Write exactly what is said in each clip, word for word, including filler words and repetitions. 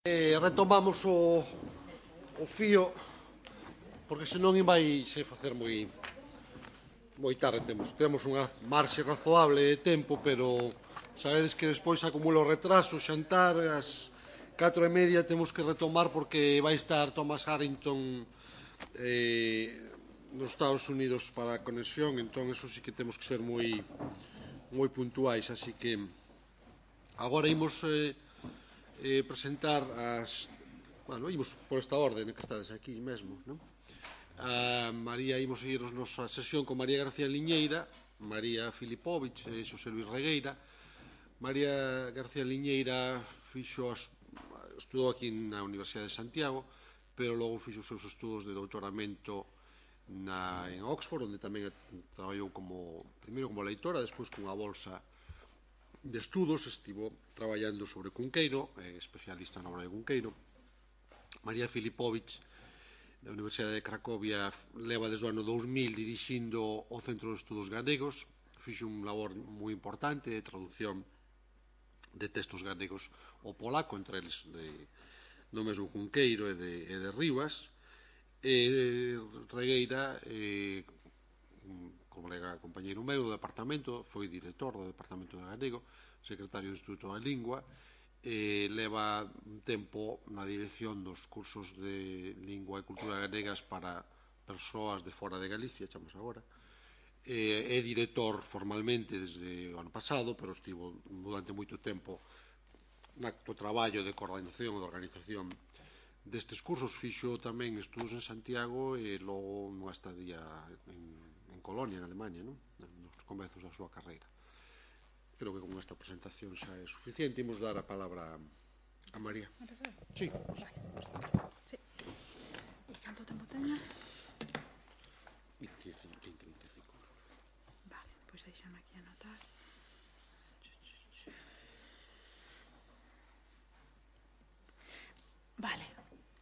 Eh, retomamos o, o fío, porque senón vai se facer moi moi tarde. Temos, temos unha marxe razoable de tempo, pero sabedes que despois acumulo retraso, xantar, as catro e media temos que retomar porque vai estar Thomas Harrington eh, nos Estados Unidos para a conexión, entón eso sí que temos que ser moi moi puntuais, así que agora imos eh, eh, presentar as... Bueno, imos por esta orden que estades aquí mesmo, non? A María, imos seguir a nosa sesión con María García Liñeira, María Filipovich e Xosé Luis Regueira. María García Liñeira fixo as, estudou aquí na Universidade de Santiago, pero logo fixo os seus estudos de doutoramento na, en Oxford, onde tamén traballou como, primeiro como leitora, despois cunha bolsa de estudos, estivo traballando sobre Cunqueiro, eh, especialista na obra de Cunqueiro. María Filipovich, da Universidade de Cracovia, leva desde o ano dous mil dirixindo o Centro de Estudos Galegos, fixo un labor moi importante de traducción de textos galegos ao polaco, entre eles de, do mesmo Cunqueiro e de, e de Rivas. E Regueira, eh, un colega compañeiro meu do departamento, foi director do departamento de galego, secretario do Instituto da Lingua, e leva un tempo na dirección dos cursos de lingua e cultura galegas para persoas de fora de Galicia, chamamos agora. É director formalmente desde o ano pasado, pero estivo durante moito tempo no traballo de coordinación e de organización destes cursos. Fixo tamén estudos en Santiago e logo nunha estadía en, en Colonia, en Alemania, non? Nos comezos da súa carreira. Creo que con esta presentación xa é suficiente. Imos dar a palabra a María. Sí. Sí. E canto tempo teño? vinte, vinte, vinte e cinco. Vale, pois deixame aquí anotar. Vale.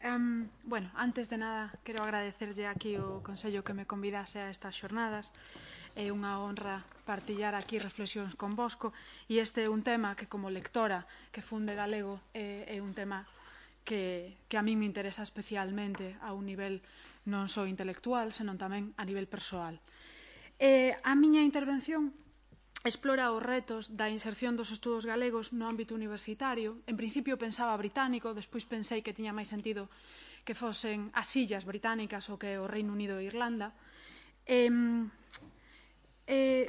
Um, bueno, antes de nada, quero agradecerlle aquí o Consello que me convidase a estas xornadas. É unha honra partillar aquí reflexións con vosco e este é un tema que como lectora que funde galego é, é un tema que, que a mí me interesa especialmente a un nivel non só intelectual, senón tamén a nivel persoal. Eh, a miña intervención explora os retos da inserción dos estudos galegos no ámbito universitario. En principio pensaba británico, despois pensei que tiña máis sentido que fosen as illas británicas ou que o Reino Unido e Irlanda. Eh, eh,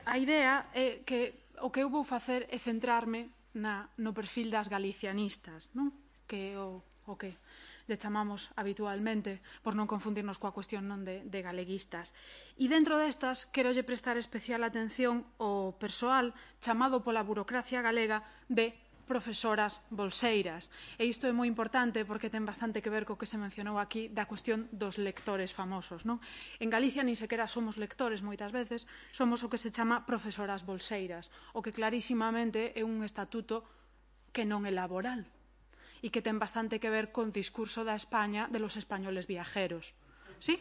a idea é que o que eu vou facer é centrarme na, no perfil das galicianistas, non? Que é o, o que lle chamamos habitualmente, por non confundirnos coa cuestión non de, de galeguistas. E dentro destas, quero lle prestar especial atención ao persoal chamado pola burocracia galega de profesoras bolseiras. E isto é moi importante porque ten bastante que ver co que se mencionou aquí da cuestión dos lectores famosos, non? En Galicia nin sequera somos lectores moitas veces, somos o que se chama profesoras bolseiras, o que clarísimamente é un estatuto que non é laboral e que ten bastante que ver con o discurso da España de los españoles viajeros. ¿Sí?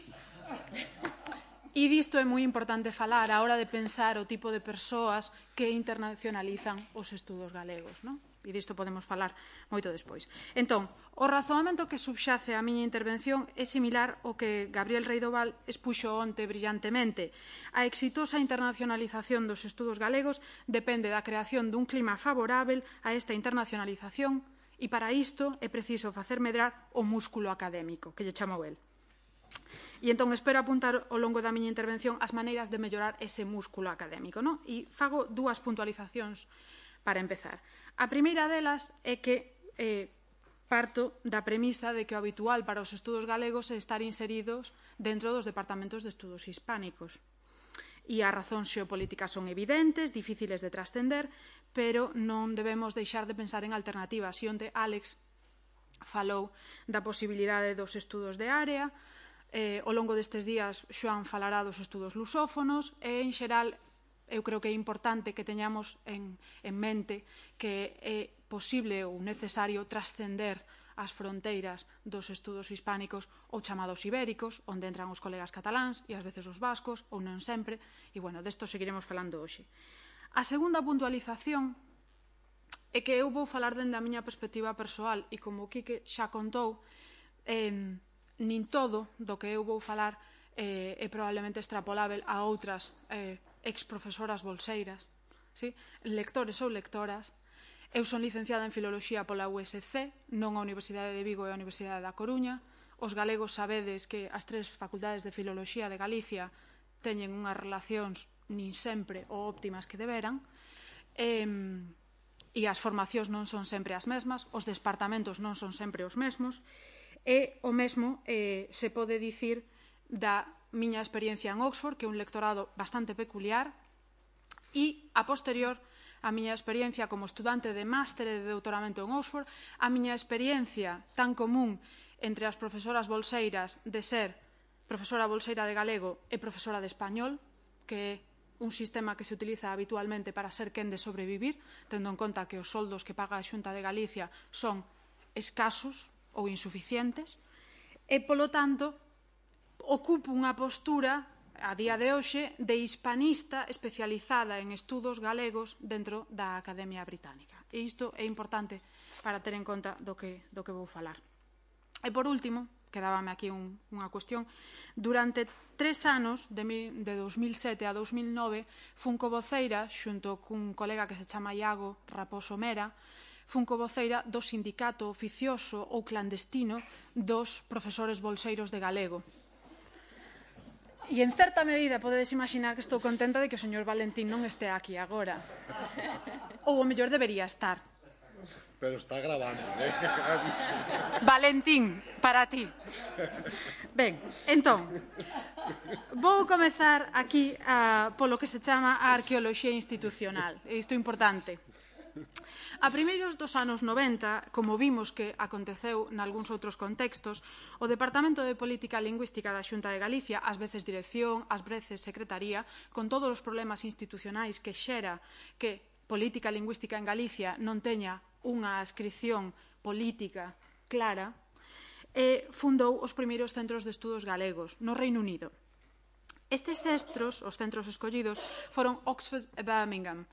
E disto é moi importante falar a hora de pensar o tipo de persoas que internacionalizan os estudos galegos, non? E disto podemos falar moito despois. Entón, o razoamento que subxace a miña intervención é similar ao que Gabriel Reidoval expuxo onte brillantemente. A exitosa internacionalización dos estudos galegos depende da creación dun clima favorável a esta internacionalización e para isto é preciso facer medrar o músculo académico, que lle chamou el. E entón espero apuntar ao longo da miña intervención as maneiras de mellorar ese músculo académico, non? E fago dúas puntualizacións para empezar. A primeira delas é que eh, parto da premisa de que o habitual para os estudos galegos é estar inseridos dentro dos departamentos de estudos hispánicos. E as razóns xeopolíticas son evidentes, difíciles de trascender, pero non debemos deixar de pensar en alternativas. E onde Álex falou da posibilidade dos estudos de área, eh, ao longo destes días Xoán falará dos estudos lusófonos e, en xeral, eu creo que é importante que teñamos en, en mente que é posible ou necesario trascender as fronteiras dos estudos hispánicos ou chamados ibéricos, onde entran os colegas cataláns e ás veces os vascos, ou non sempre, e, bueno, desto seguiremos falando hoxe. A segunda puntualización é que eu vou falar dende a miña perspectiva persoal e como o Quique xa contou, eh, nin todo do que eu vou falar eh, é probablemente extrapolável a outras eh, ex-profesoras bolseiras, sí? Lectores ou lectoras. Eu son licenciada en Filoloxía pola U S C, non a Universidade de Vigo e a Universidade da Coruña. Os galegos sabedes que as tres facultades de Filoloxía de Galicia teñen unhas relacións nin sempre o óptimas que deberan, e, e as formacións non son sempre as mesmas, os departamentos non son sempre os mesmos, e o mesmo eh, se pode dicir da miña experiencia en Oxford, que é un lectorado bastante peculiar, e, a posterior, a miña experiencia como estudante de máster e de doutoramento en Oxford, a miña experiencia tan común entre as profesoras bolseiras de ser profesora bolseira de galego e profesora de español, que é un sistema que se utiliza habitualmente para ser quen de sobrevivir, tendo en conta que os soldos que paga a Xunta de Galicia son escasos ou insuficientes, e, polo tanto, ocupo unha postura, a día de hoxe, de hispanista especializada en estudos galegos dentro da Academia Británica. E isto é importante para ter en conta do que, do que vou falar. E, por último, quedábame aquí un, unha cuestión, durante tres anos, de, mi, de dos mil sete a dos mil nove, fun covoceira, xunto cun colega que se chama Iago Raposo Mera, fun covoceira do sindicato oficioso ou clandestino dos profesores bolseiros de galego. E, en certa medida, podedes imaginar que estou contenta de que o señor Valentín non este aquí agora. Ou, o mellor, debería estar. Pero está grabando, eh? Valentín, para ti. Ben, entón, vou comezar aquí a, polo que se chama a arqueoloxía institucional. E isto é importante. A primeiros dos anos noventa, como vimos que aconteceu nalgúns outros contextos, o Departamento de Política Lingüística da Xunta de Galicia, ás veces dirección, ás veces secretaría, con todos os problemas institucionais que xera que política lingüística en Galicia non teña unha adscripción política clara, e fundou os primeiros centros de estudos galegos no Reino Unido. Estes centros, os centros escollidos, foron Oxford e Birmingham,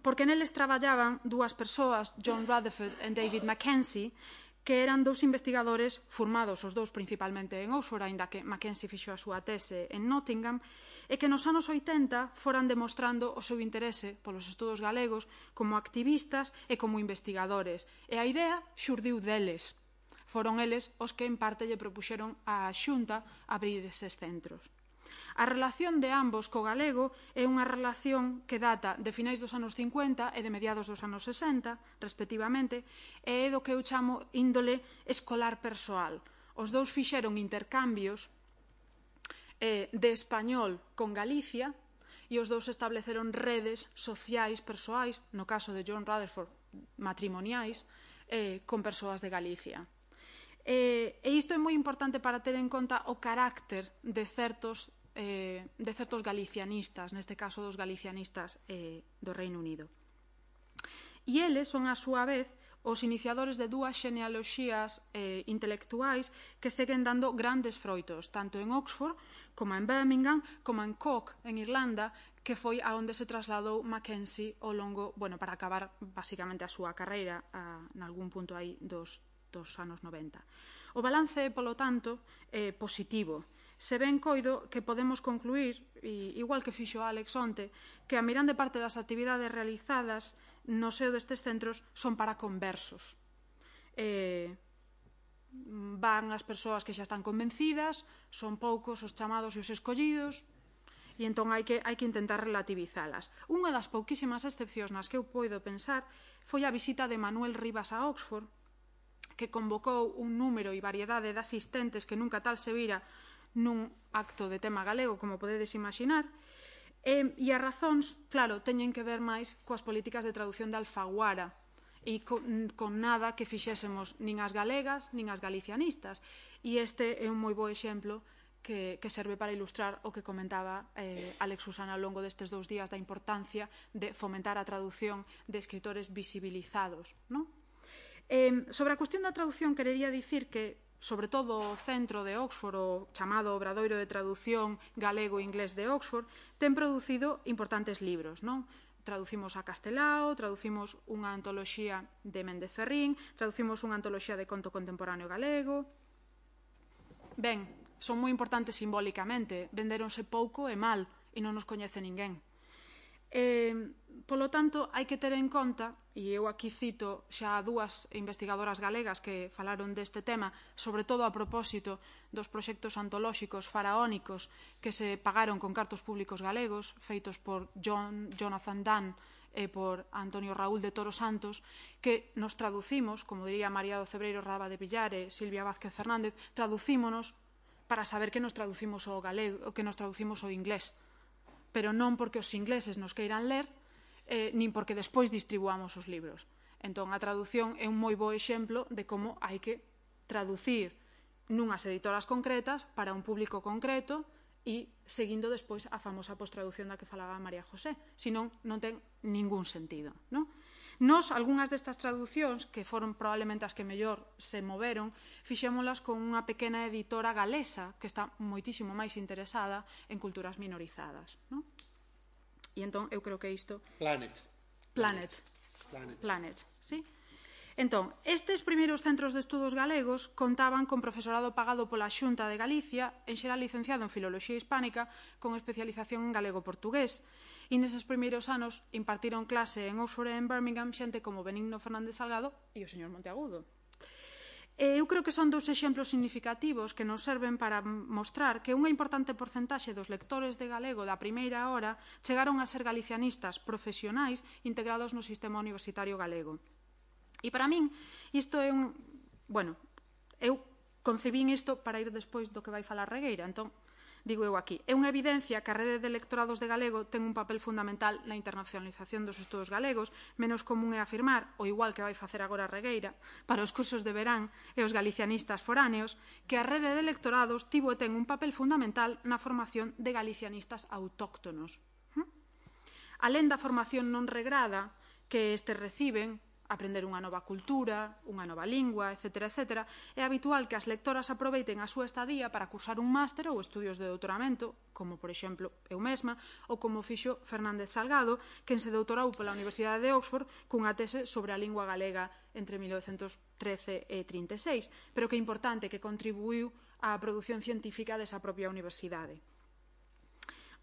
porque neles traballaban dúas persoas, John Rutherford e David Mackenzie, que eran dous investigadores formados, os dous principalmente en Oxford, aínda que Mackenzie fixo a súa tese en Nottingham, e que nos anos oitenta foran demostrando o seu interese polos estudos galegos como activistas e como investigadores. E a idea xurdiu deles. Foron eles os que en parte lle propuxeron á Xunta abrir eses centros. A relación de ambos co galego é unha relación que data de finais dos anos cincuenta e de mediados dos anos sesenta, respectivamente, e é do que eu chamo índole escolar persoal. Os dous fixeron intercambios eh, de español con Galicia e os dous estableceron redes sociais persoais, no caso de John Rutherford, matrimoniais, eh, con persoas de Galicia. E, e isto é moi importante para ter en conta o carácter de certos Eh, de certos galicianistas, neste caso dos galicianistas eh, do Reino Unido. E eles son, a súa vez, os iniciadores de dúas xenealoxías eh, intelectuais que seguen dando grandes froitos, tanto en Oxford, como en Birmingham, como en Cork, en Irlanda, que foi a onde se trasladou Mackenzie ao longo, bueno, para acabar basicamente a súa carreira a, en algún punto aí dos, dos anos noventa. O balance, polo tanto, é positivo. Se ben coido que podemos concluir, igual que fixo Alex onte, que a mirande parte das actividades realizadas no seo destes centros son para conversos. Eh, van as persoas que xa están convencidas, son poucos os chamados e os escollidos, e entón hai que, hai que intentar relativizalas. Unha das pouquísimas excepcións nas que eu poido pensar foi a visita de Manuel Rivas a Oxford, que convocou un número e variedade de asistentes que nunca tal se vira nun acto de tema galego, como podedes imaginar, e, e as razóns, claro, teñen que ver máis coas políticas de traducción de Alfaguara e con, con nada que fixésemos nin as galegas nin as galicianistas. E este é un moi bo exemplo que, que serve para ilustrar o que comentaba eh, Alex Susana ao longo destes dous días da importancia de fomentar a traducción de escritores visibilizados, non? Eh, sobre a cuestión da traducción, querería dicir que sobre todo o centro de Oxford, o chamado Obradoiro de Traducción Galego e Inglés de Oxford, ten producido importantes libros, non? traducimos a castelao, traducimos unha antoloxía de Méndez Ferrín, traducimos unha antoloxía de conto contemporáneo galego. Ben, son moi importantes simbólicamente, vendéronse pouco e mal e non nos coñece ninguén. Eh, polo tanto, hai que ter en conta, e eu aquí cito xa dúas investigadoras galegas que falaron deste tema, sobre todo a propósito dos proxectos antolóxicos faraónicos que se pagaron con cartos públicos galegos, feitos por John, Jonathan Dunn e por Antonio Raúl de Toro Santos, que nos traducimos, como diría María do Cebreiro Raba de Villar e Silvia Vázquez Fernández, traducímonos para saber que nos traducimos ao galego, que nos traducimos ao inglés, pero non porque os ingleses nos queiran ler, eh, nin porque despois distribuamos os libros. Entón, a traducción é un moi bo exemplo de como hai que traducir nunhas editoras concretas para un público concreto e seguindo despois a famosa postraducción da que falaba María José. Senón, non ten ningún sentido, non? Nos, algunhas destas traducións, que foron probablemente as que mellor se moveron, fixémolas con unha pequena editora galesa que está moitísimo máis interesada en culturas minorizadas. Non? E entón, eu creo que isto... Planet. Planet. Planet. Planet, sí. Entón, estes primeiros centros de estudos galegos contaban con profesorado pagado pola Xunta de Galicia, en xeral licenciado en Filoloxía Hispánica, con especialización en galego-portugués. E neses primeiros anos impartiron clase en Oxford e en Birmingham xente como Benigno Fernández Salgado e o señor Monteagudo. E eu creo que son dous exemplos significativos que nos serven para mostrar que unha importante porcentaxe dos lectores de galego da primeira hora chegaron a ser galicianistas profesionais integrados no sistema universitario galego. E para min, isto é un... Bueno, eu concebín isto para ir despois do que vai falar Regueira, entón, digo eu aquí, é unha evidencia que a rede de lectorados de galego ten un papel fundamental na internacionalización dos estudos galegos, menos común é afirmar, o igual que vai facer agora Regueira, para os cursos de verán e os galicianistas foráneos, que a rede de lectorados tivo e ten un papel fundamental na formación de galicianistas autóctonos. Alén da formación non regrada que estes reciben, aprender unha nova cultura, unha nova lingua, etcétera, etcétera, é habitual que as lectoras aproveiten a súa estadía para cursar un máster ou estudios de doutoramento, como, por exemplo, eu mesma, ou como fixo Fernández Salgado, quen se doutorou pola Universidade de Oxford cunha tese sobre a lingua galega entre mil novecentos trece e trinta e seis, pero que é importante que contribuiu á produción científica desa propia universidade.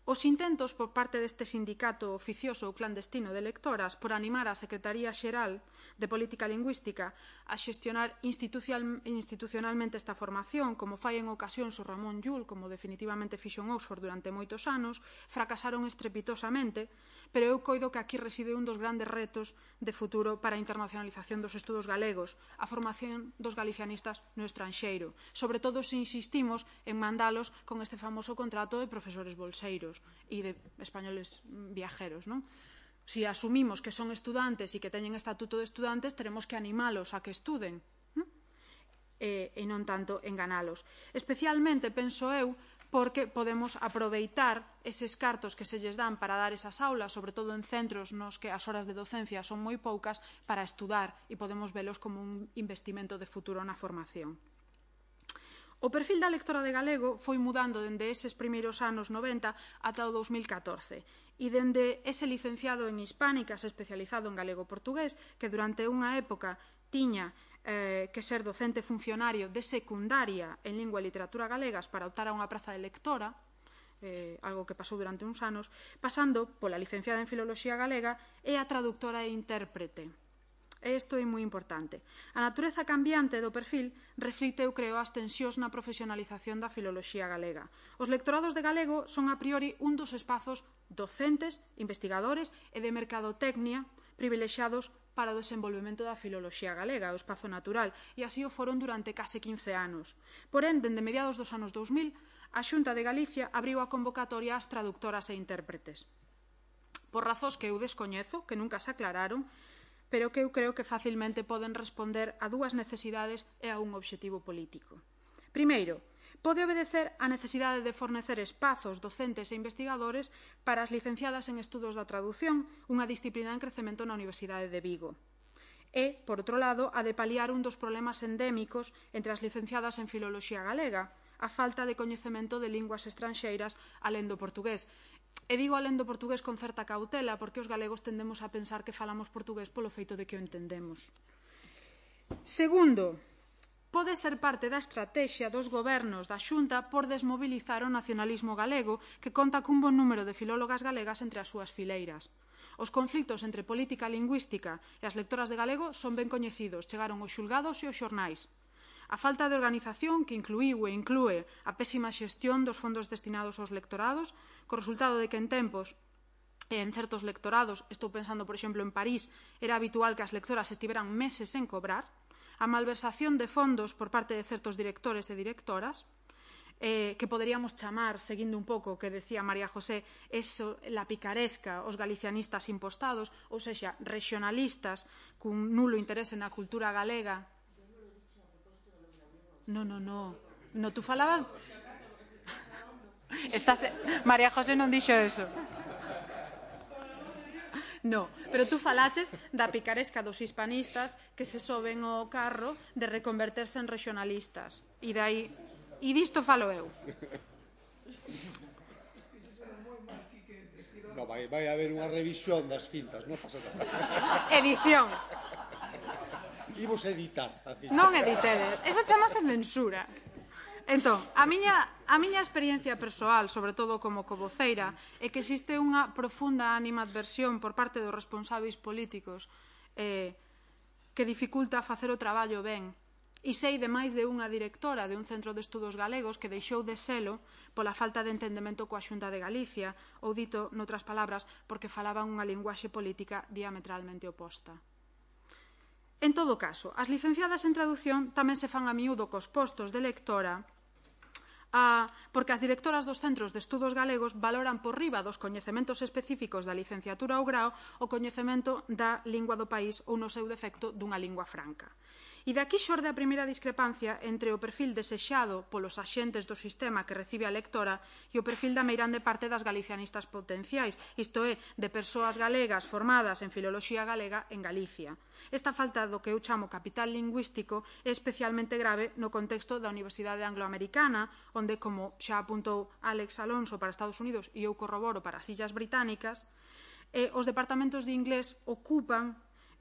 Os intentos por parte deste sindicato oficioso ou clandestino de lectoras por animar a Secretaría Xeral de Política Lingüística a xestionar institucionalmente esta formación, como fai en ocasións o Ramón Llull, como definitivamente fixo en Oxford durante moitos anos, fracasaron estrepitosamente, pero eu coido que aquí reside un dos grandes retos de futuro para a internacionalización dos estudos galegos, a formación dos galicianistas no estranxeiro, sobre todo se insistimos en mandalos con este famoso contrato de profesores bolseiros e de españoles viajeros, non? Si asumimos que son estudantes e que teñen estatuto de estudantes, teremos que animalos a que estuden e, e non tanto enganalos. Especialmente, penso eu, porque podemos aproveitar eses cartos que se lles dan para dar esas aulas, sobre todo en centros nos que as horas de docencia son moi poucas, para estudar e podemos velos como un investimento de futuro na formación. O perfil da lectora de galego foi mudando dende eses primeiros anos noventa ata o dous mil catorce e dende ese licenciado en hispánicas especializado en galego-portugués que durante unha época tiña eh, que ser docente funcionario de secundaria en lingua e literatura galegas para optar a unha praza de lectora, eh, algo que pasou durante uns anos, pasando pola licenciada en filoloxía galega e a traductora e intérprete. Isto é moi importante. A natureza cambiante do perfil reflicte, eu creo, as tensións na profesionalización da filoloxía galega. Os lectorados de galego son a priori un dos espazos docentes, investigadores e de mercadotecnia privilexiados para o desenvolvemento da filoloxía galega, o espazo natural, e así o foron durante case quince anos. Porén, dende mediados dos anos dous mil, a Xunta de Galicia abriu a convocatoria ás traductoras e intérpretes. Por razóns que eu descoñezo, que nunca se aclararon, pero que eu creo que facilmente poden responder a dúas necesidades e a un obxectivo político. Primeiro, pode obedecer á necesidade de fornecer espazos docentes e investigadores para as licenciadas en estudos da tradución, unha disciplina en crecemento na Universidade de Vigo. E, por outro lado, a de paliar un dos problemas endémicos entre as licenciadas en filoloxía galega, a falta de coñecemento de linguas estranxeiras alén do portugués. E digo alén do portugués con certa cautela, porque os galegos tendemos a pensar que falamos portugués polo feito de que o entendemos. Segundo, pode ser parte da estratexia dos gobernos da Xunta por desmobilizar o nacionalismo galego, que conta cun bon número de filólogas galegas entre as súas fileiras. Os conflitos entre política lingüística e as lectoras de galego son ben coñecidos, chegaron aos xulgados e aos xornais. A falta de organización que incluíu e inclúe a pésima xestión dos fondos destinados aos lectorados, co resultado de que en tempos e en certos lectorados, estou pensando, por exemplo, en París, era habitual que as lectoras estiveran meses sen cobrar, a malversación de fondos por parte de certos directores e directoras, eh, que poderíamos chamar, seguindo un pouco o que decía María José, eso, la picaresca, os galicianistas impostados, ou sexa, regionalistas cun nulo interese na cultura galega. No, no, no. No, tú falabas... Estás... María José non dixo eso. No, pero tú falaches da picaresca dos hispanistas que se soben ao carro de reconverterse en regionalistas. E dai... E disto falo eu. No, vai, vai haber unha revisión das cintas, non pasa nada. Edición. Imos editar a cinta. Non editedes, eso chamase censura. Entón, a miña, a miña experiencia persoal, sobre todo como covoceira, é que existe unha profunda animadversión por parte dos responsáveis políticos eh, que dificulta facer o traballo ben. E sei de máis de unha directora de un centro de estudos galegos que deixou de selo pola falta de entendemento coa Xunta de Galicia, ou dito noutras palabras, porque falaban unha linguaxe política diametralmente oposta. En todo caso, as licenciadas en traducción tamén se fan a miúdo cos postos de lectora, a, porque as directoras dos centros de estudos galegos valoran por riba dos coñecementos específicos da licenciatura ou grao o coñecemento da lingua do país ou, no seu defecto, dunha lingua franca. E daqui xorde a primeira discrepancia entre o perfil desexado polos axentes do sistema que recibe a lectora e o perfil da meirande parte das galicianistas potenciais, isto é, de persoas galegas formadas en filoloxía galega en Galicia. Esta falta do que eu chamo capital lingüístico é especialmente grave no contexto da Universidade Angloamericana, onde, como xa apuntou Alex Alonso para Estados Unidos e eu corroboro para as Illas Británicas, eh, os departamentos de inglés ocupan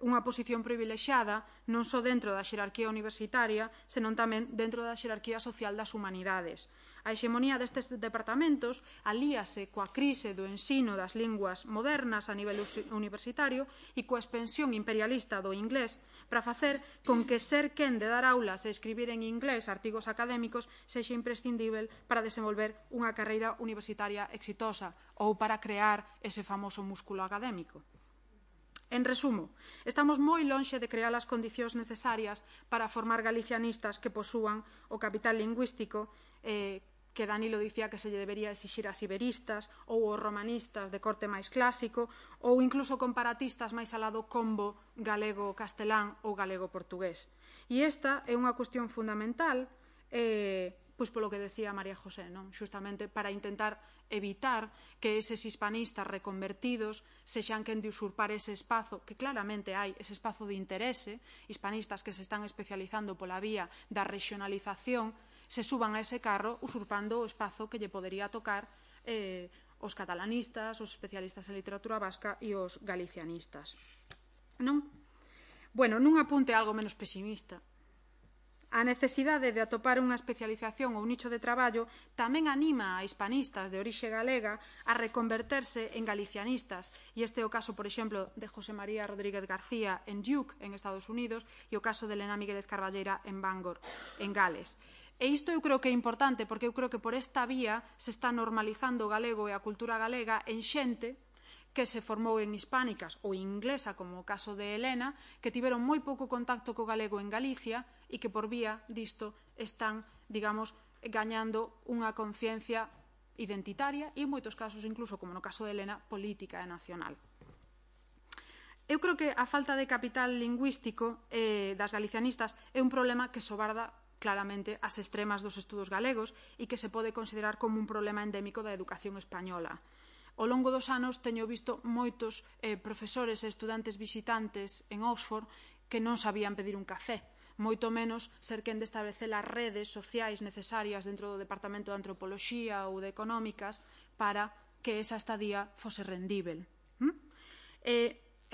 unha posición privilexiada non só dentro da xerarquía universitaria, senón tamén dentro da xerarquía social das humanidades. A hexemonía destes departamentos alíase coa crise do ensino das linguas modernas a nivel universitario e coa expansión imperialista do inglés para facer con que ser quen de dar aulas e escribir en inglés artigos académicos sexa imprescindível para desenvolver unha carreira universitaria exitosa ou para crear ese famoso músculo académico. En resumo, estamos moi lonxe de crear as condicións necesarias para formar galicianistas que posúan o capital lingüístico eh, que Danilo dicía que se lle debería exixir ás iberistas ou aos romanistas de corte máis clásico ou incluso comparatistas máis alado combo galego-castelán ou galego-portugués. E esta é unha cuestión fundamental eh, pois polo que decía María José, non? Xustamente para intentar evitar que eses hispanistas reconvertidos sexan quen de usurpar ese espazo, que claramente hai ese espazo de interese, hispanistas que se están especializando pola vía da regionalización, se suban a ese carro usurpando o espazo que lle podería tocar eh, os catalanistas, os especialistas en literatura vasca e os galicianistas. Non? Bueno, nun apunte algo menos pesimista. A necesidade de atopar unha especialización ou nicho de traballo tamén anima a hispanistas de orixe galega a reconverterse en galicianistas, e este é o caso, por exemplo, de José María Rodríguez García en Duke, en Estados Unidos, e o caso de Elena Míguez Carballeira en Bangor, en Gales. E isto eu creo que é importante porque eu creo que por esta vía se está normalizando o galego e a cultura galega en xente que se formou en hispánicas ou inglesa, como o caso de Elena, que tiveron moi pouco contacto co galego en Galicia e que por vía disto están, digamos, gañando unha conciencia identitaria e en moitos casos, incluso como no caso de Elena, política e nacional. Eu creo que a falta de capital lingüístico eh, das galicianistas é un problema que sobarda claramente as extremas dos estudos galegos e que se pode considerar como un problema endémico da educación española. Ao longo dos anos teño visto moitos eh, profesores e estudantes visitantes en Oxford que non sabían pedir un café, moito menos ser quen de establecer as redes sociais necesarias dentro do Departamento de Antropoloxía ou de Económicas para que esa estadía fose rendível.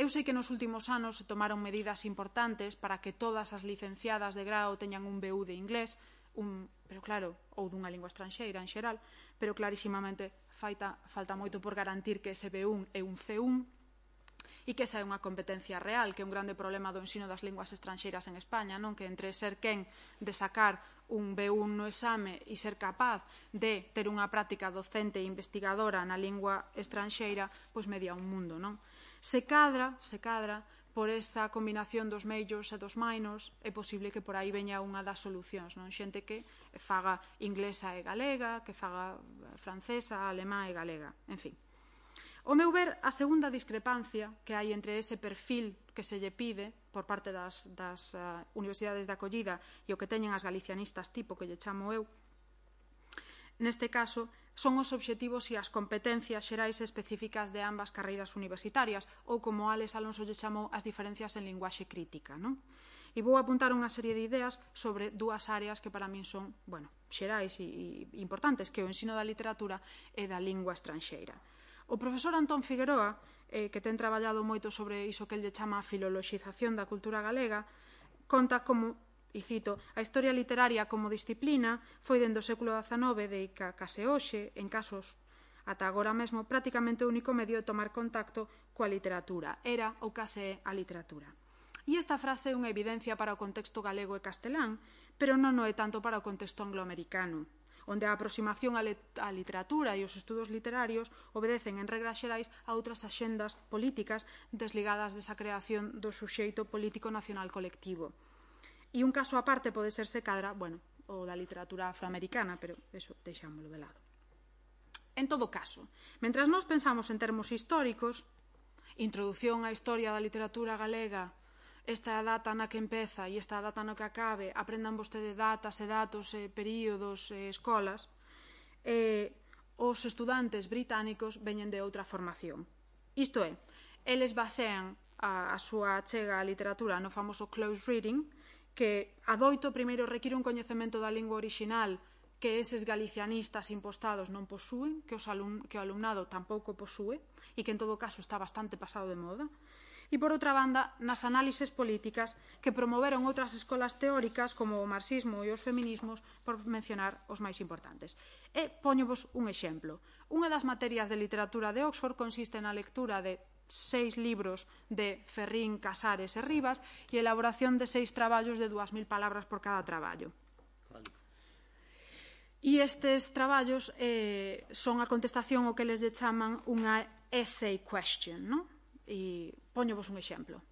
Eu sei que nos últimos anos se tomaron medidas importantes para que todas as licenciadas de grao teñan un B U de inglés, un, pero claro, ou dunha lingua estranxeira en xeral, pero clarísimamente falta, falta moito por garantir que ese B un é un C un e que esa é unha competencia real, que é un grande problema do ensino das linguas estranxeiras en España, non? Que entre ser quen de sacar un B un no exame e ser capaz de ter unha práctica docente e investigadora na lingua estranxeira, pois media un mundo, non? Se cadra, se cadra, por esa combinación dos majors e dos minors, é posible que por aí veña unha das solucións, non? Xente que faga inglesa e galega, que faga francesa, alemá e galega, en fin. O meu ver, a segunda discrepancia que hai entre ese perfil que se lle pide por parte das, das uh, universidades de acollida e o que teñen as galicianistas tipo, que lle chamo eu, neste caso, son os obxectivos e as competencias xerais específicas de ambas carreiras universitarias, ou como Alex Alonso lle chamou, as diferencias en linguaxe crítica, non? E vou apuntar unha serie de ideas sobre dúas áreas que para min son, bueno, xerais e, e importantes, que é o ensino da literatura e da lingua estranxeira. O profesor Antón Figueroa, eh, que ten traballado moito sobre iso que el lle chama a filoloxización da cultura galega, conta como, e cito, a historia literaria como disciplina foi dende o século dezanove de que case hoxe, en casos ata agora mesmo, prácticamente o único medio de tomar contacto coa literatura. Era ou case a literatura. E esta frase é unha evidencia para o contexto galego e castelán, pero non o é tanto para o contexto angloamericano, onde a aproximación á literatura e os estudos literarios obedecen en regras xerais a outras axendas políticas desligadas desa creación do suxeito político nacional colectivo. E un caso aparte pode ser, se cadra, bueno, o da literatura afroamericana, pero eso deixámoslo de lado. En todo caso, mentras nós pensamos en termos históricos, introdución á historia da literatura galega, esta data na que empeza e esta data na que acabe, aprendan vostede datas e datos, e períodos e escolas, eh, os estudantes británicos veñen de outra formación. Isto é, eles basean a, a súa achega á literatura no famoso close reading, que adoito primeiro require un coñecemento da lingua orixinal que eses galicianistas impostados non posúen, que, os alum, que o alumnado tampouco posúe e que en todo caso está bastante pasado de moda. E por outra banda, nas análises políticas que promoveron outras escolas teóricas como o marxismo e os feminismos, por mencionar os máis importantes. E poñovos un exemplo. Unha das materias de literatura de Oxford consiste na lectura de seis libros de Ferrín, Casares e Rivas e elaboración de seis traballos de dúas mil palabras por cada traballo. Vale. E estes traballos eh, son a contestación ao que les chaman unha essay question, non? E poñovos un exemplo.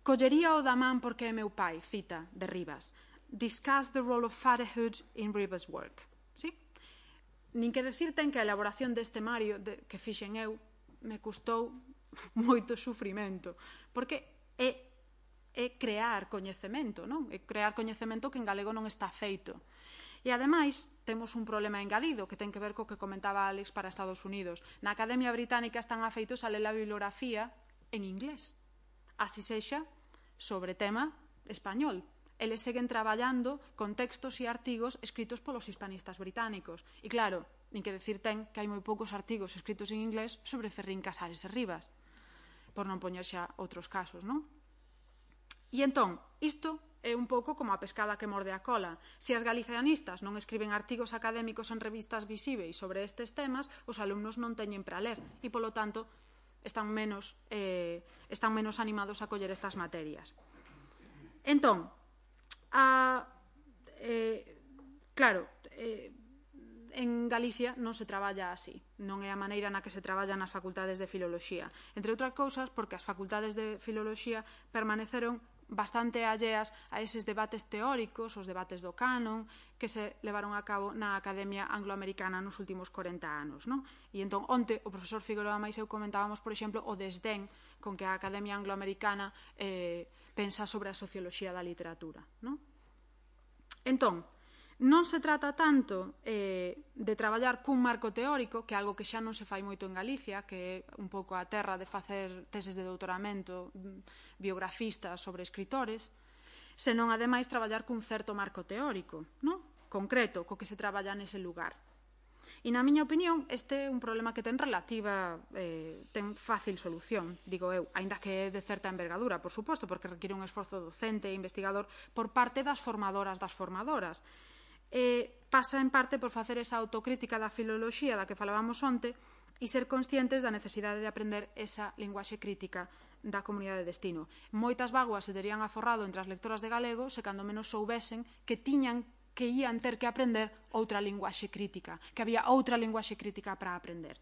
Collería o da man porque é meu pai, cita de Rivas. Discuss the role of fatherhood in Rivas' work. Sí? Nin que decir ten que a elaboración deste Mario de, que fixen eu me custou moito sufrimento, porque é, é crear coñecemento, non? É crear coñecemento que en galego non está feito. E, ademais, temos un problema engadido que ten que ver co que comentaba Alex para Estados Unidos. Na Academia Británica están afeitos a ler a bibliografía en inglés, así sexa sobre tema español. Eles seguen traballando con textos e artigos escritos polos hispanistas británicos. E, claro, nin que decir ten que hai moi poucos artigos escritos en inglés sobre Ferrín, Casares e Rivas, por non poñer xa outros casos, non? E entón, isto é un pouco como a pescada que morde a cola. Se as galicianistas non escriben artigos académicos en revistas visíveis sobre estes temas, os alumnos non teñen para ler e, polo tanto, están menos, eh, están menos animados a coller estas materias. Entón, a, eh, claro, eh, en Galicia non se traballa así, non é a maneira na que se traballa nas facultades de filoloxía, entre outras cousas porque as facultades de filoloxía permaneceron bastante alleas a eses debates teóricos, os debates do canon, que se levaron a cabo na Academia Angloamericana nos últimos corenta anos, non? E entón, onte, o profesor Figueroa máis eu comentábamos, por exemplo, o desdén con que a Academia Angloamericana eh, pensa sobre a socioloxía da literatura, non? Entón, non se trata tanto eh, de traballar cun marco teórico, que é algo que xa non se fai moito en Galicia, que é un pouco a terra de facer teses de doutoramento biografistas sobre escritores, senón, ademais, traballar cun certo marco teórico, non? Concreto, co que se traballa nese lugar. E, na miña opinión, este é un problema que ten relativa, eh, ten fácil solución, digo eu, aínda que é de certa envergadura, por suposto, porque require un esforzo docente e investigador por parte das formadoras das formadoras. Eh, pasa en parte por facer esa autocrítica da filoloxía da que falábamos onte e ser conscientes da necesidade de aprender esa linguaxe crítica da comunidade de destino. Moitas vaguas se terían aforrado entre as lectoras de galego se cando menos soubesen que tiñan que ían ter que aprender outra linguaxe crítica, que había outra linguaxe crítica para aprender.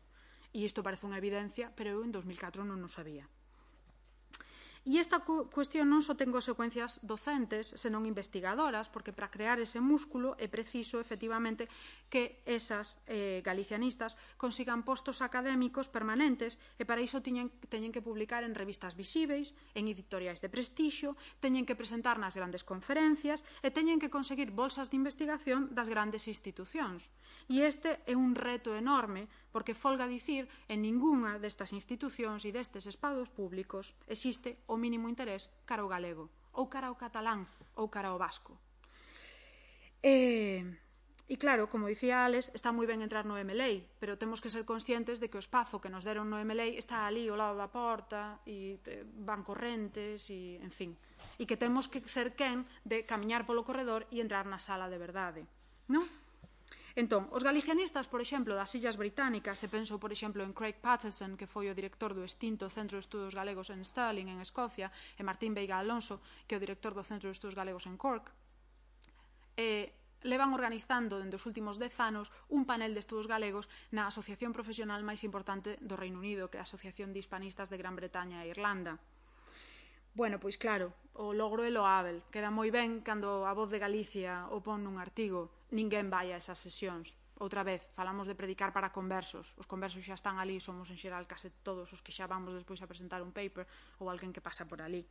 E isto parece unha evidencia, pero eu en dos mil catro non o sabía. E esta cuestión non só ten consecuencias docentes, senón investigadoras, porque para crear ese músculo é preciso, efectivamente, que esas eh, galicianistas consigan postos académicos permanentes e para iso teñen, teñen que publicar en revistas visíveis, en editoriais de prestixio, teñen que presentar nas grandes conferencias e teñen que conseguir bolsas de investigación das grandes institucións. E este é un reto enorme, porque folga dicir, en ningunha destas institucións e destes espados públicos existe o mínimo interés cara ao galego, ou cara ao catalán, ou cara ao vasco. E, e claro, como dicía Alex, está moi ben entrar no E M L E I, pero temos que ser conscientes de que o espazo que nos deron no E M L E I está ali ao lado da porta, e van correntes, e, en fin, e que temos que ser quen de camiñar polo corredor e entrar na sala de verdade, non? Entón, os galicianistas, por exemplo, das Illas Británicas, se penso, por exemplo, en Craig Patterson, que foi o director do extinto Centro de Estudos Galegos en Stirling, en Escocia, e Martín Veiga Alonso, que é o director do Centro de Estudos Galegos en Cork, eh, levan organizando dende os últimos dez anos un panel de estudos galegos na asociación profesional máis importante do Reino Unido, que é a Asociación de Hispanistas de Gran Bretaña e Irlanda. Bueno, pois claro, o logro é loável. Queda moi ben cando a Voz de Galicia o pon nun artigo. Ninguén vai a esas sesións. Outra vez, falamos de predicar para conversos. Os conversos xa están ali, somos en xeral case todos os que xa vamos despois a presentar un paper ou alguén que pasa por ali.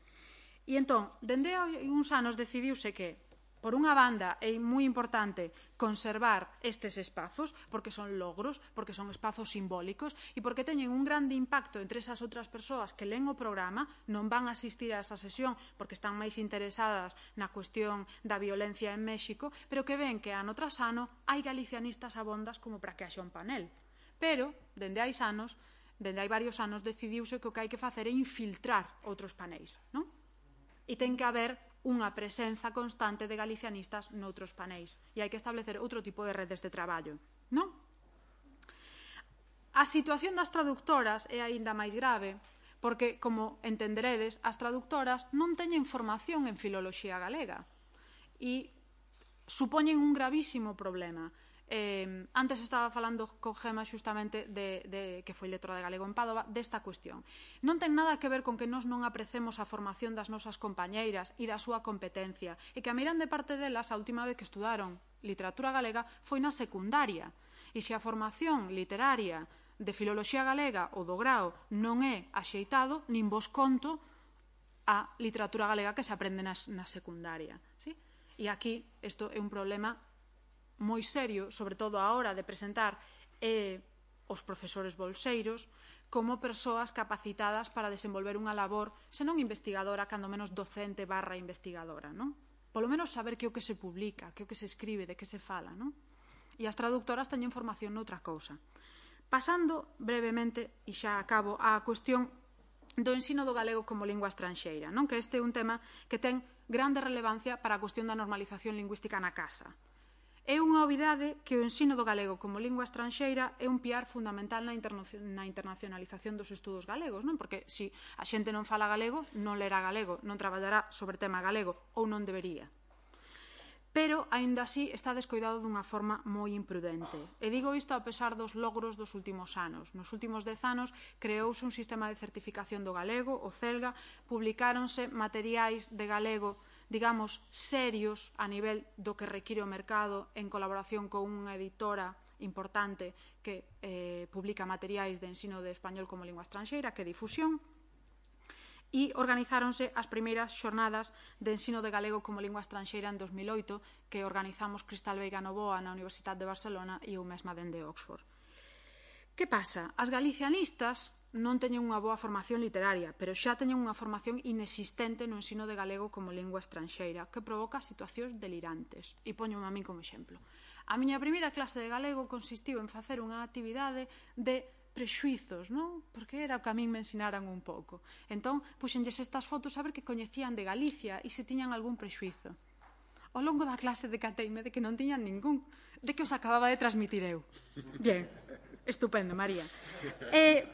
E entón, dende hai uns anos decidiuse que, por unha banda, é moi importante conservar estes espazos, porque son logros, porque son espazos simbólicos e porque teñen un grande impacto entre esas outras persoas que len o programa, non van a asistir a esa sesión porque están máis interesadas na cuestión da violencia en México, pero que ven que ano tras ano hai galicianistas abondas como para que haxa un panel. Pero, dende hai anos, dende hai varios anos, decidiuse que o que hai que facer é infiltrar outros panéis, non? E ten que haber unha presenza constante de galicianistas noutros panéis e hai que establecer outro tipo de redes de traballo, non? A situación das traductoras é aínda máis grave porque, como entenderedes, as traductoras non teñen formación en filoloxía galega e supoñen un gravísimo problema. Eh, antes estaba falando con Gema xustamente de, de, que foi lectora de galego en Pádova desta cuestión. Non ten nada que ver con que nós non aprecemos a formación das nosas compañeiras e da súa competencia e que a miran de parte delas a última vez que estudaron literatura galega foi na secundaria e se a formación literaria de filoloxía galega ou do grao non é axeitado, nin vos conto a literatura galega que se aprende na, na secundaria, ¿sí? E aquí isto é un problema moi serio, sobre todo a hora de presentar eh, os profesores bolseiros como persoas capacitadas para desenvolver unha labor, senón investigadora, cando menos docente barra investigadora, non? Polo menos saber que o que se publica, que o que se escribe, de que se fala, non? E as traductoras teñen formación noutra cousa. Pasando brevemente, e xa acabo, á cuestión do ensino do galego como lingua estranxeira, non? Que este é un tema que ten grande relevancia para a cuestión da normalización lingüística na casa. É unha obviedade que o ensino do galego como lingua estranxeira é un piar fundamental na, na internacionalización dos estudos galegos, non? Porque se a xente non fala galego, non lerá galego, non traballará sobre tema galego, ou non debería. Pero, aínda así, está descoidado dunha forma moi imprudente. E digo isto a pesar dos logros dos últimos anos. Nos últimos dez anos creouse un sistema de certificación do galego, o CELGA, publicáronse materiais de galego digamos, serios a nivel do que require o mercado en colaboración con unha editora importante que eh, publica materiais de ensino de español como lingua estranxeira, que é Difusión, e organizáronse as primeiras xornadas de ensino de galego como lingua estranxeira en dos mil oito que organizamos Cristal Veiga Novoa na Universidade de Barcelona e eu mesma dende Oxford. Que pasa? As galicianistas non teñen unha boa formación literaria, pero xa teñen unha formación inexistente no ensino de galego como lingua estranxeira, que provoca situacións delirantes. E poñome a min como exemplo. A miña primeira clase de galego consistiu en facer unha actividade de prexuizos, non? Porque era o que a min me ensinaran un pouco. Entón, puxenlles estas fotos a ver que coñecían de Galicia e se tiñan algún prexuizo. Ao longo da clase decateime de que non tiñan ningún, de que os acababa de transmitir eu. Bien, estupendo, María. E,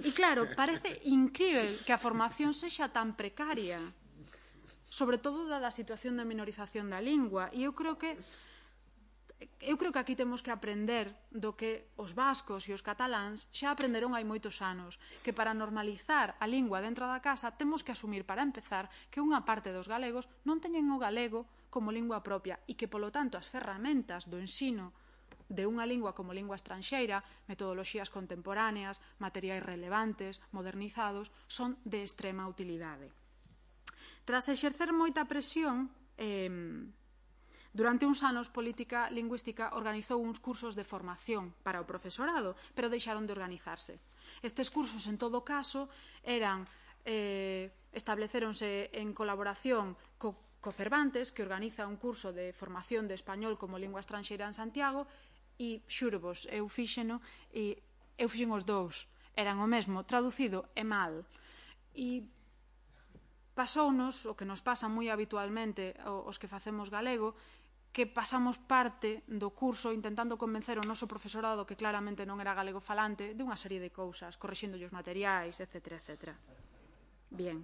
e claro, parece incrível que a formación sexa tan precaria, sobre todo dada a situación de minorización da lingua, e eu creo que Eu creo que aquí temos que aprender do que os vascos e os cataláns xa aprenderon hai moitos anos, que para normalizar a lingua dentro da casa temos que asumir, para empezar, que unha parte dos galegos non teñen o galego como lingua propia e que, polo tanto, as ferramentas do ensino de unha lingua como lingua estranxeira, metodoloxías contemporáneas, materiais relevantes, modernizados, son de extrema utilidade. Tras exercer moita presión, eh, durante uns anos, Política Lingüística organizou uns cursos de formación para o profesorado, pero deixaron de organizarse. Estes cursos, en todo caso, eran eh, estableceronse en colaboración co, co Cervantes, que organiza un curso de formación de español como lingua estranxeira en Santiago, e xurvos, eu fixeno, e eu fixen os dous, eran o mesmo, traducido e mal. E pasounos, o que nos pasa moi habitualmente os que facemos galego, que pasamos parte do curso intentando convencer o noso profesorado, que claramente non era galego falante, de unha serie de cousas, corrixéndolle os materiais, etcétera, etcétera. Bien.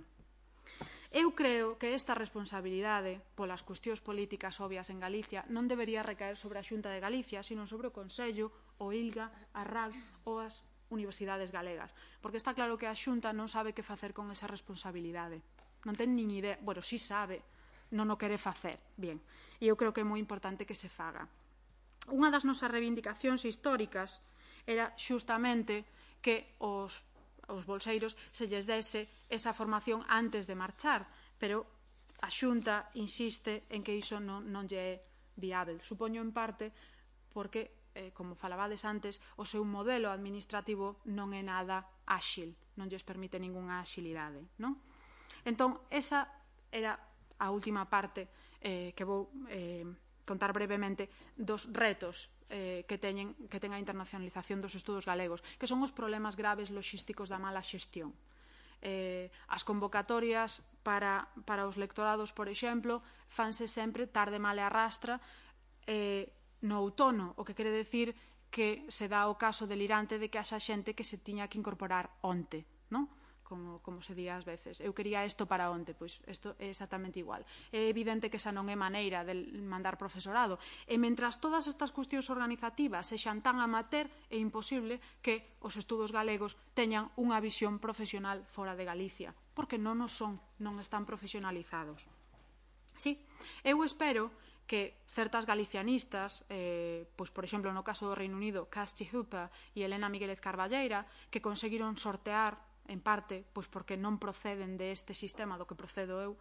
Eu creo que esta responsabilidade polas cuestións políticas obvias en Galicia non debería recaer sobre a Xunta de Galicia, sino sobre o Consello, o ILGA, a R A G ou as universidades galegas. Porque está claro que a Xunta non sabe que facer con esa responsabilidade. Non ten nin idea, bueno, si sabe, non o quere facer. Bien, e eu creo que é moi importante que se faga. Unha das nosas reivindicacións históricas era xustamente que os, os bolseiros se lles dese esa formación antes de marchar, pero a Xunta insiste en que iso non, non lle é viável. Supoño en parte porque, eh, como falabades antes, o seu modelo administrativo non é nada áxil, non lles permite ningunha axilidade, non? Entón, esa era a última parte eh, que vou eh, contar brevemente dos retos eh, que, teñen, que ten a internacionalización dos estudos galegos, que son os problemas graves logísticos da mala xestión. Eh, as convocatorias para, para os lectorados, por exemplo, fanse sempre tarde, mal e arrastra eh, no outono, o que quere decir que se dá o caso delirante de que haxa xente que se tiña que incorporar onte, non? Como, como se di ás veces. Eu quería isto para onte, pois isto é exactamente igual. É evidente que esa non é maneira de mandar profesorado. E mentras todas estas cuestións organizativas sexan tan amateur, é imposible que os estudos galegos teñan unha visión profesional fora de Galicia, porque non o son, non están profesionalizados. Sí, eu espero que certas galicianistas, eh, pois por exemplo no caso do Reino Unido, Kirsty Hooper e Elena Miguelez Carballeira, que conseguiron sortear en parte, pois porque non proceden deste sistema do que procedo eu,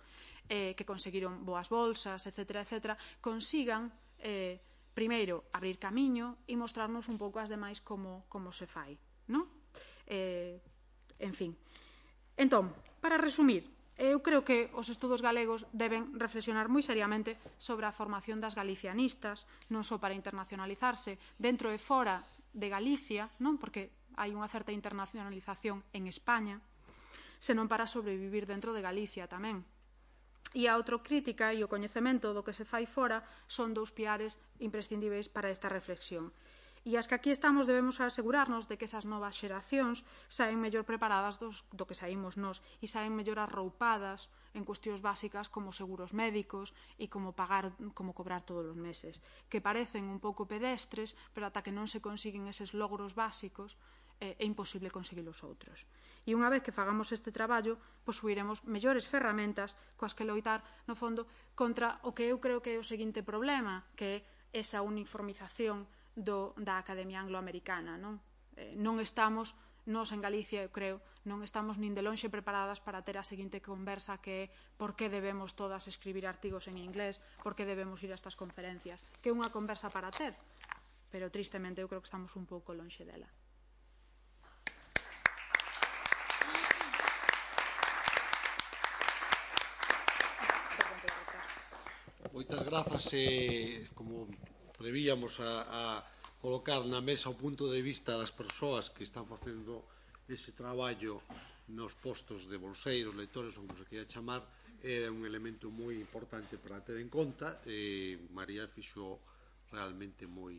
eh, que conseguiron boas bolsas, etcétera, etcétera, consigan, eh, primeiro, abrir camiño e mostrarnos un pouco as demais como, como se fai, non? Eh, en fin. Entón, para resumir, eu creo que os estudos galegos deben reflexionar moi seriamente sobre a formación das galicianistas, non só para internacionalizarse dentro e fora de Galicia, non? Porque hai unha certa internacionalización en España, senón para sobrevivir dentro de Galicia tamén. E a autocrítica e o coñecemento do que se fai fora son dous piares imprescindíveis para esta reflexión. E as que aquí estamos debemos asegurarnos de que esas novas xeracións saen mellor preparadas dos, do que saímos nós e saen mellor arroupadas en cuestións básicas como seguros médicos e como pagar, como cobrar todos os meses, que parecen un pouco pedestres, pero ata que non se consiguen eses logros básicos, é imposible conseguir os outros. E unha vez que fagamos este traballo, posuiremos mellores ferramentas coas que loitar, no fondo, contra o que eu creo que é o seguinte problema, que é esa uniformización do, da Academia Angloamericana. Non, eh, non estamos, nós en Galicia, eu creo, non estamos nin de lonxe preparadas para ter a seguinte conversa, que é por que debemos todas escribir artigos en inglés, por que debemos ir a estas conferencias, que é unha conversa para ter, pero tristemente eu creo que estamos un pouco lonxe dela. moitas grazas e, como prevíamos, a, a colocar na mesa o punto de vista das persoas que están facendo ese traballo nos postos de bolseiros, leitores, ou como se queira chamar, é un elemento moi importante para ter en conta e María fixo realmente moi